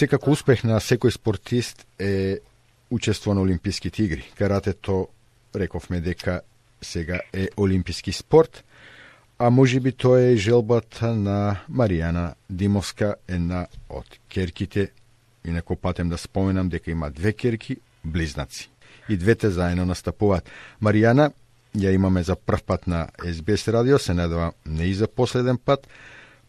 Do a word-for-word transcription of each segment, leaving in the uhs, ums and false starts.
Секако успех на секој спортист е учество на Олимписките игри. Каратето, рековме дека сега е олимписки спорт, а можеби тоа е желбата на Маријана Димовска, една од керките. Инако патем да споменам дека има две керки, близнаци. И двете заедно настапуваат. Маријана ја имаме за прв пат на Ес Би Ес радио, се надевам не и за последен пат.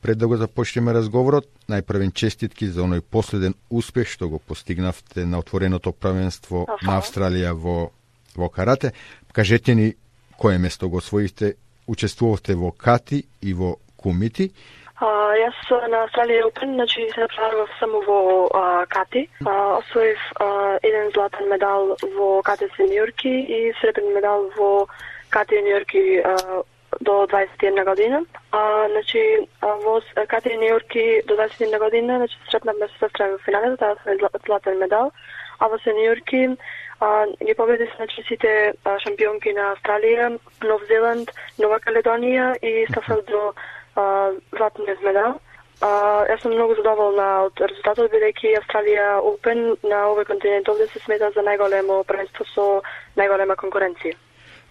Пред да го започнеме разговорот, најпрвен честитки за оној последен успех што го постигнавте на отвореното првенство Аха. на Австралија во, во карате. Кажете ни кое место го освоивте, учествувавте во кати и во кумити. А, јас на Австралија Open, значи се направив само во а, кати. А, освоив а, еден златен медал во кати сениорки и сребрен медал во кати јуниорки а, до дваесет и една година. А, значи, а, во кати јуниорки до дваесет и една година, значи сретнавме се сестра во финалето, таа се златен медал, а во сениорки а, ги победи значи сите а, шампионки на Австралија, Нов Зеланд, Нова Каледонија и стафав до а, златниот медал. А, јас сум многу задоволна од резултатот, бидејќи Австралија Open на овој континент овде се смета за најголемо првенство со најголема конкуренција.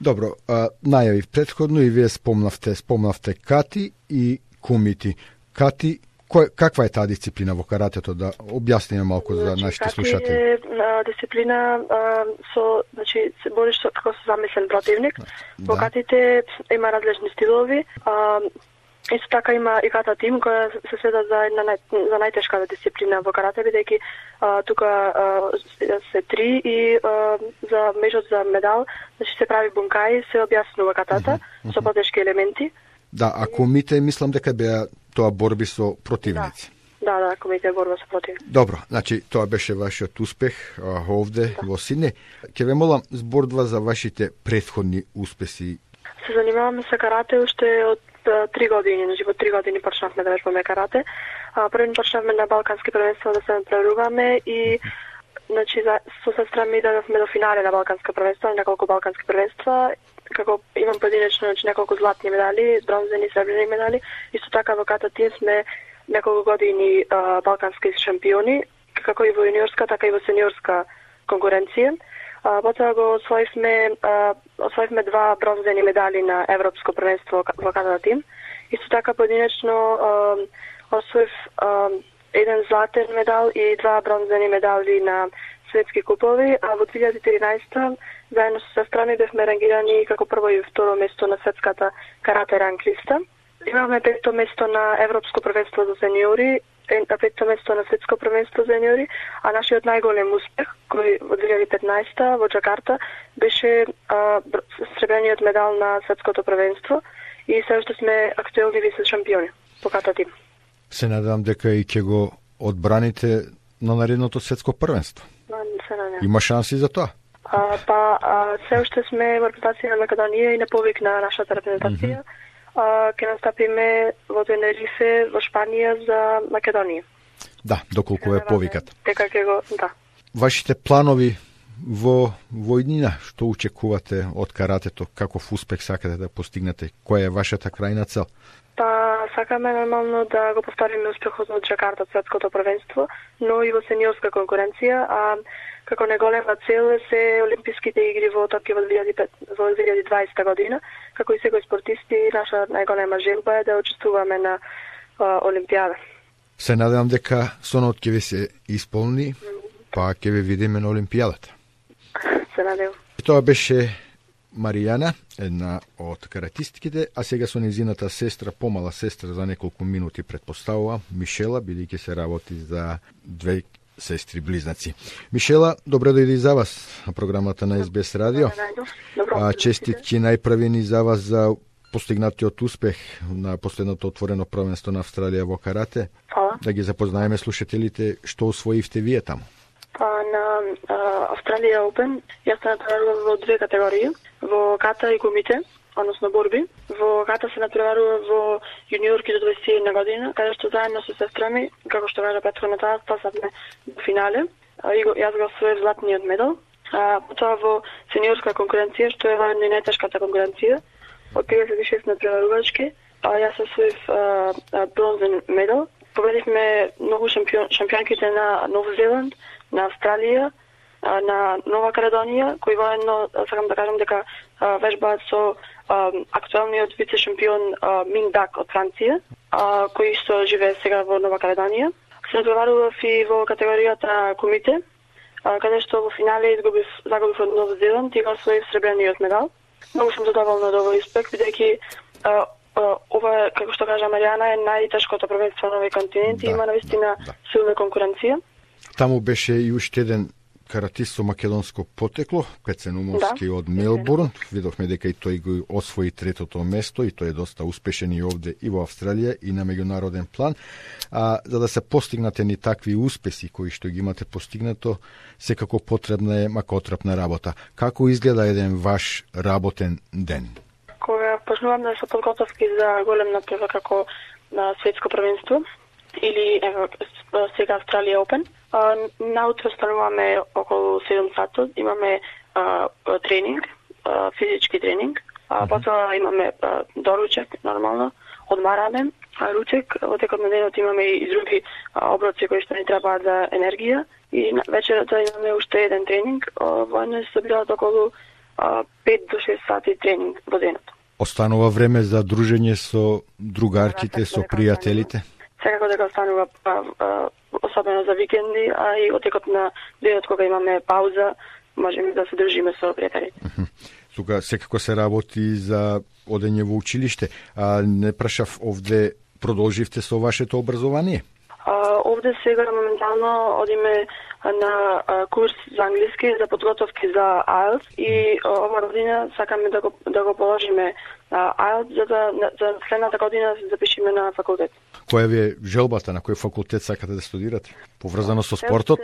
Добро, а, најавив предходно и вие спомнавте, спомнавте кати и кумити. Кати, кој, каква е таа дисциплина во каратето, да објасниме малку за Значи, нашите кати слушатели? е а, дисциплина а, со, значи, се бориш со, како со замислен противник. Во Да. катите има различни стилови. А, исто така има и ката тим која се следа за една нај, за најтешката дисциплина во карате, бидејќи а, тука а, се три и а, за мечот за медал, значи се прави бункај, се објаснува катата со потешки елементи. Да, а кумите, мислам дека беа тоа борби со противници. Да, да, комите борба со противник. Добро, значи тоа беше вашиот успех а, овде во Сиднеј. Ќе ве молам збордва за вашите претходни успеси. Се занимаваме со карате уште од а, три години, значи во три години почнавме да вежбаме карате. А, првен почнавме на балкански првенства да се надпреваруваме и значи за, со сестра ми дадовме до финале на балканска првенства, неколку балкански првенства. Како имам поединечно значи, неколку златни медали, бронзени, сребрени медали. Исто така во ката тим сме неколку години а, балкански шампиони, како и во јуниорска, така и во сениорска конкуренција. А, потоа го освоивме, а, освоивме два бронзени медали на европско првенство во ката тим. Исто така поединечно а, освоив а, еден златен медал и два бронзени медали на светски купови, а во две илјади и тринаесета заедно со сестра ми бевме рангирани како прво и второ место на светската карате ранг листа. Имаме пето место на европско првенство за сениори, пето место на светско првенство за сениори, а нашиот најголем успех, кој во две илјади и петнаесета во Џакарта беше а, сребрениот медал на светското првенство и се уште сме актуелни вице шампиони по ката тим. Се надевам дека и ќе го одбраните на наредното светско првенство. Се надевам. Има шанси за тоа? А, па, а, се уште сме во репрезентација на Македонија и на повик на нашата репрезентација. Mm -hmm. а, ке настапиме во Тенерифе, во Шпанија за Македонија. Да, доколку е повикат. Дека ќе го, да. Вашите планови во војнина, што очекувате од каратето, каков успех сакате да постигнете, која е вашата крајна цел? Па, сакаме нормално да го повториме успехот од Џакарта светското првенство, но и во сениорска конкуренција, а како неголема цел се Олимписките игри во Токио во две илјади и дваесета година, како и секој спортисти, наша најголема желба е да учествуваме на а, Олимпијада. Се надевам дека сонот ќе ви се исполни, па ќе ве видиме на Олимпијадата. Се надевам. Тоа беше Маријана, една од каратистките, а сега со незината сестра, помала сестра за неколку минути предпоставува, Мишела, бидејќи се работи за две сестри близнаци. Мишела, добре дојди за вас на програмата на Ес Би Ес радио. А честитки најпрвени за вас за постигнатиот успех на последното отворено првенство на Австралија во карате. Фала. Да ги запознаеме слушателите што освоивте вие таму. Па на а, Австралија Open јас се натпреварував во две категории, во ката и кумите, односно борби. Во ката се натпреварува во јуниорки до дваесет и една година, каде што заедно со сестра ми, како што кажа претходната, стасавме до финале. А, и го, јас го освоив златниот медал. А, потоа во сениорска конкуренција, што е воедно и најтешката конкуренција, од педесет и шест натпреварувачки, а јас освоив бронзен медал. победивме многу шампион, шампионките на Нов Зеланд, на Австралија, на Нова Каледонија, кои воедно сакам да кажам дека вежбаат со актуелниот вице-шампион Минг Дак од Франција, кој што живее сега во Нова Каледонија. Се натпреварував и во категоријата комите, каде што во финале изгубив, загубив од Нов Зеланд и го освоив сребрениот медал. Многу сум задоволна од овој успех, бидејќи ова, како што кажа Маријана, е најтешкото првенство на овој континент да, и има навистина да, да. силна конкуренција. Таму беше и уште еден каратист со македонско потекло, Пецен Умовски да, од Мелбурн. Видовме дека и тој го освои третото место и тој е доста успешен и овде и во Австралија и на меѓународен план. А за да се постигнате ни такви успеси кои што ги имате постигнато, секако потребна е макотрапна работа. Како изгледа еден ваш работен ден? Кога почнувам да се подготовки за голем натпревар како на светско првенство или ево, сега Австралија Open, наутро стануваме околу седум сатот, имаме а, тренинг, а, физички тренинг, а, потоа имаме а, доручек, нормално, одмараме, а, ручек, во текот на денот имаме и други а, оброци кои што ни требаат за енергија и на вечерата имаме уште еден тренинг, воедно се собираат околу а, пет до шест сати тренинг во денот. Останува време за дружење со другарките, со пријателите? Секако дека останува а, а, особено за викенди, а и од текот на денот кога имаме пауза, можеме да се дружиме со пријателите. Тука секако се работи за одење во училиште. А не прашав, овде продолживте со вашето образование? А, овде сега моментално одиме на а, курс за англиски, за подготовки за айлтс и а, ова година сакаме да го, да го положиме а, айлтс, за да за следната година се запишеме на факултет. Која ви е желбата, на кој факултет сакате да студирате? Поврзано со спортот?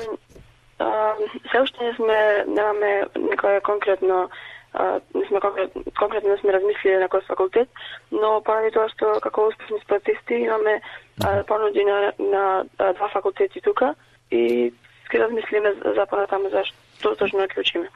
Се уште не сме, немаме некоја конкретно, а, не сме конкретно, конкретно не сме размислили на кој факултет, но поради тоа што како успешни спортисти имаме а, понуди на, на а, два факултети тука и ке размислиме за понатаму за што точно ќе учиме.